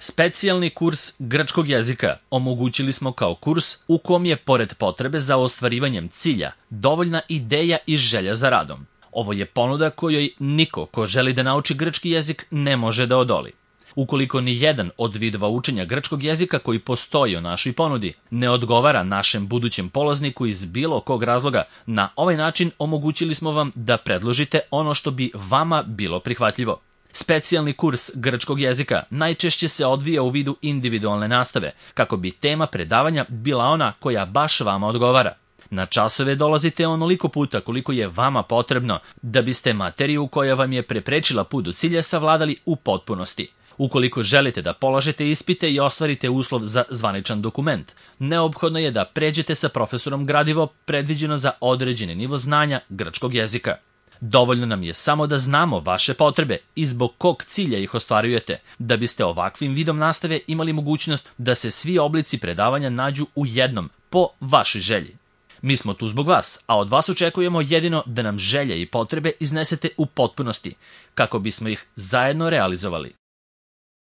Specijalni kurs grčkog jezika omogućili smo kao kurs u kom je, pored potrebe za ostvarivanjem cilja, dovoljna ideja i želja za radom. Ovo je ponuda kojoj niko ko želi da nauči grčki jezik ne može da odoli. Ukoliko ni jedan od vidova učenja grčkog jezika koji postoji u našoj ponudi ne odgovara našem budućem polazniku iz bilo kog razloga, na ovaj način omogućili smo vam da predložite ono što bi vama bilo prihvatljivo. Specijalni kurs grčkog jezika najčešće se odvija u vidu individualne nastave, kako bi tema predavanja bila ona koja baš vama odgovara. Na časove dolazite onoliko puta koliko je vama potrebno da biste materiju koja vam je preprečila put do cilja savladali u potpunosti. Ukoliko želite da polažete ispite i ostvarite uslov za zvaničan dokument, neophodno je da pređete sa profesorom gradivo predviđeno za određeni nivo znanja grčkog jezika. Dovoljno nam je samo da znamo vaše potrebe i zbog kog cilja ih ostvarujete, da biste ovakvim vidom nastave imali mogućnost da se svi oblici predavanja nađu u jednom, po vašoj želji. Mi smo tu zbog vas, a od vas očekujemo jedino da nam želje i potrebe iznesete u potpunosti, kako bismo ih zajedno realizovali.